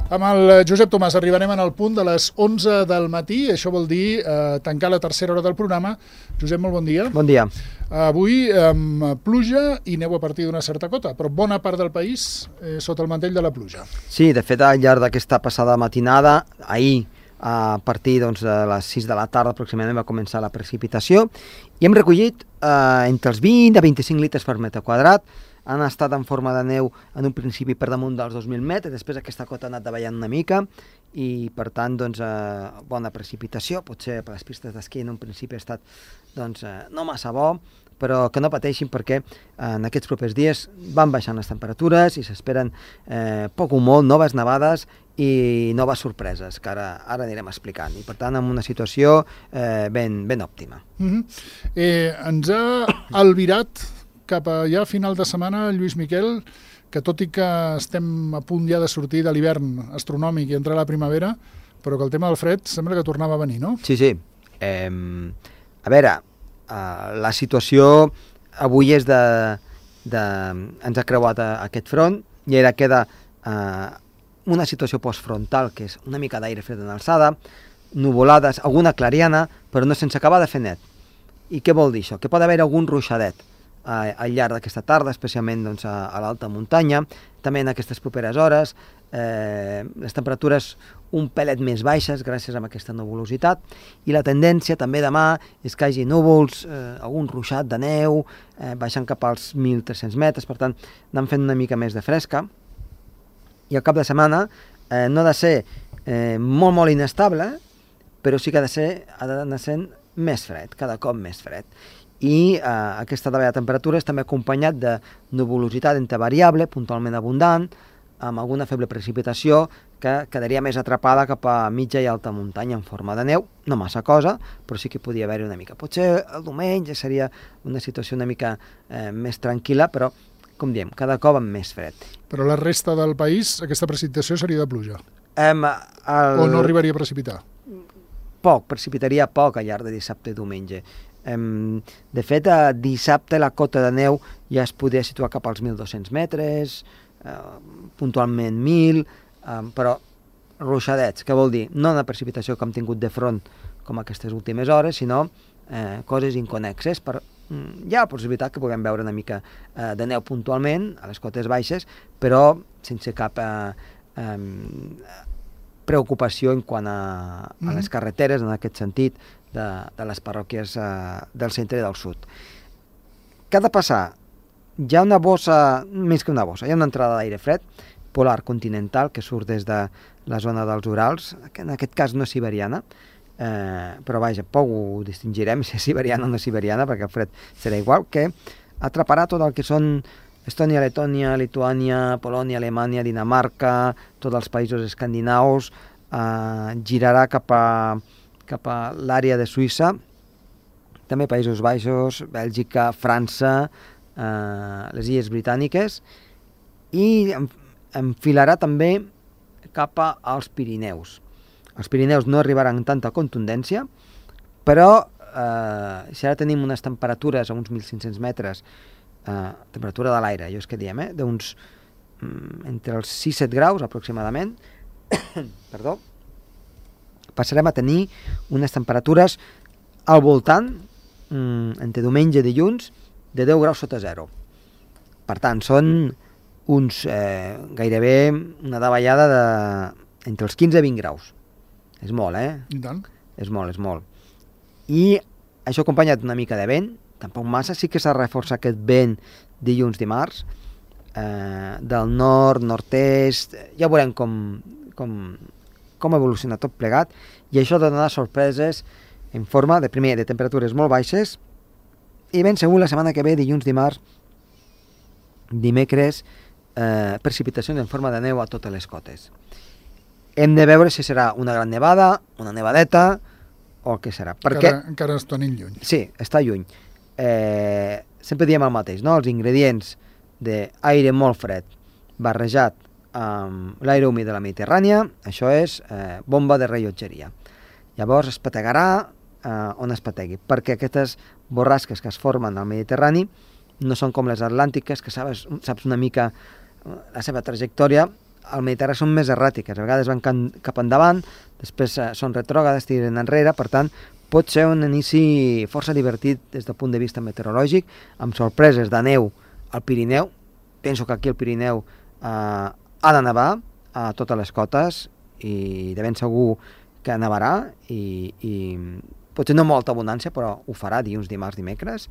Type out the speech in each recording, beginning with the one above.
Amb el Josep Tomàs arribarem en el punt de les 11 del matí, això vol dir tancar la tercera hora del programa. Josep, molt bon dia. Bon dia. Avui amb pluja i neu a partir d'una certa cota, però bona part del país sota el mantell de la pluja. Sí, de fet, al llarg d'aquesta passada matinada, ahir, a partir de les 6 de la tarda aproximadament va començar la precipitació i hem recollit entre els 20 a 25 litres per metre quadrat. Han estat en forma de neu en un principi per damunt dels 2.000 metres, després aquesta cota ha anat davallant una mica i per tant bona precipitació, potser per les pistes d'esquí en un principi ha estat no massa bo, però que no pateixin perquè en aquests propers dies van baixant les temperatures i s'esperen poc o molt noves nevades i noves sorpreses que ara anirem explicant i per tant en una situació ben òptima. Ens ha albirat cap a ja final de setmana, Lluís Miquel, que tot i que estem a punt ja de sortir de l'hivern astronòmic i entrar a la primavera, però que el tema del fred sembla que tornava a venir, no? Sí. A veure, la situació avui és ens ha creuat aquest front i ara queda una situació postfrontal, que és una mica d'aire fred en alçada, nuvolades, alguna clariana, però no sense acabar de fer net. I què vol dir això? Que pot haver algun ruixadet al llarg d'aquesta tarda, especialment a l'alta muntanya, també en aquestes properes hores, les temperatures un pelet més baixes gràcies a aquesta nuvolositat i la tendència també demà és que hi hagi núvols, algun ruixat de neu, baixant cap als 1.300 metres, per tant anem fent una mica més de fresca i al cap de setmana no ha de ser molt inestable, però sí que ha d'anar sent més fred, cada cop més fred. I aquesta davallada de temperatures també acompanyat de nuvolositat entre variable, puntualment abundant, amb alguna feble precipitació que quedaria més atrapada cap a mitja i alta muntanya en forma de neu, no massa cosa, però sí que podia haver-hi una mica. Potser el diumenge seria una situació una mica més tranquil·la, però, com diem, cada cop amb més fred. Però la resta del país, aquesta precipitació seria de pluja? O no arribaria a precipitar? Precipitaria poc al llarg de dissabte i diumenge. De fet, dissabte la cota de neu ja es podia situar cap als 1.200 metres, puntualment 1.000, però ruixadets, què vol dir? No una precipitació que hem tingut de front com aquestes últimes hores, sinó coses inconexes. Hi ha la possibilitat que puguem veure una mica de neu puntualment a les cotes baixes, però sense cap preocupació en quant a les carreteres, en aquest sentit, de les parròquies del centre i del sud. Què ha de passar? Hi ha una bossa, més que una bossa, hi ha una entrada d'aire fred polar continental que surt des de la zona dels Urals, que en aquest cas no és siberiana, però vaja, poc ho distingirem si és siberiana o no siberiana, perquè el fred serà igual, que atraparà tot el que són Estònia, Letònia, Lituània, Polònia, Alemanya, Dinamarca, tots els països escandinaus, girarà cap a l'àrea de Suïssa, també Països Baixos, Bèlgica, França, les Illes Britàniques, i enfilarà també cap als Pirineus. Els Pirineus no arribaran amb tanta contundència, però si ara tenim unes temperatures a uns 1.500 metres, temperatura de l'aire, jo és que diem, d'uns entre els 6-7 graus aproximadament, perdó, passarem a tenir unes temperatures al voltant, entre diumenge i dilluns, de 10 graus sota zero. Per tant, són uns gairebé una davallada entre els 15 i 20 graus. És molt, I tant. És molt. I això acompanyat d'una mica de vent, tampoc massa, sí que s'ha reforçat aquest vent dilluns, dimarts, del nord, nord-est, ja veurem com evoluciona tot plegat, i això donarà sorpreses en forma de temperatures molt baixes, i ben segur la setmana que ve, dilluns, dimarts, dimecres, precipitacions en forma de neu a totes les cotes. Hem de veure si serà una gran nevada, una nevadeta, o el que serà. Encara està lluny. Sí, està lluny. Sempre diem el mateix, no? Els ingredients d'aire molt fred barrejat amb l'aire humit de la Mediterrània, això és bomba de rellotgeria. Llavors es petegarà on es petegui, perquè aquestes borrasques que es formen al Mediterrani no són com les atlàntiques, que saps una mica la seva trajectòria. al Mediterrani són més erràtiques, a vegades van cap endavant, després són retrògrades, tiren enrere, per tant, pot ser un inici força divertit des del punt de vista meteorològic, amb sorpreses de neu al Pirineu. Penso que aquí al Pirineu ha de nevar a totes les cotes i de ben segur que nevarà i potser no molta abundància, però ho farà dilluns, dimarts, dimecres.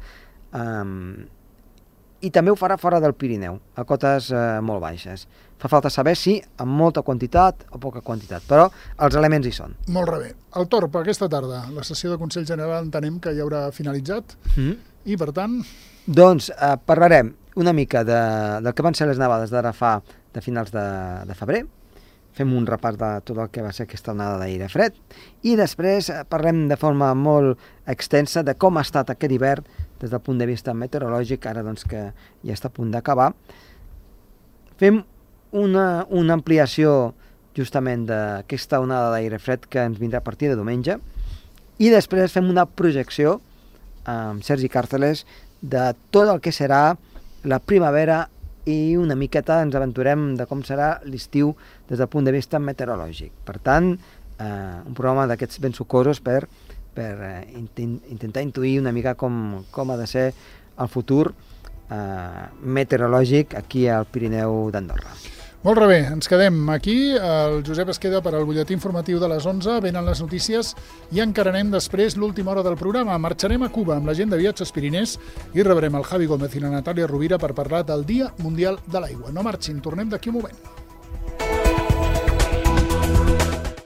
I també ho farà fora del Pirineu, a cotes molt baixes. Fa falta saber si amb molta quantitat o poca quantitat, però els elements hi són. Molt bé. El Torb, aquesta tarda, la sessió de Consell General entenem que ja haurà finalitzat i, per tant... Doncs parlarem una mica del que van ser les nevades d'ara fa de finals de febrer, fem un repàs de tot el que va ser aquesta onada d'aire fred i després parlem de forma molt extensa de com ha estat aquest hivern des del punt de vista meteorològic, ara doncs que ja està a punt d'acabar. Fem una ampliació justament d'aquesta onada d'aire fred que ens vindrà a partir de diumenge i després fem una projecció amb Sergi Càrceles de tot el que serà la primavera i una miqueta ens aventurem de com serà l'estiu des del punt de vista meteorològic. Per tant, un programa d'aquests ben sucosos per intentar intuir una mica com ha de ser el futur meteorològic aquí al Pirineu d'Andorra. Molt bé, ens quedem aquí. El Josep es queda per al butlletí informatiu de les 11, venen les notícies i encararem després l'última hora del programa. Marxarem a Cuba amb la gent de Viatges Pirinès i rebrem el Javi Gómez i la Natàlia Rovira per parlar del Dia Mundial de l'Aigua. No marxin, tornem d'aquí un moment.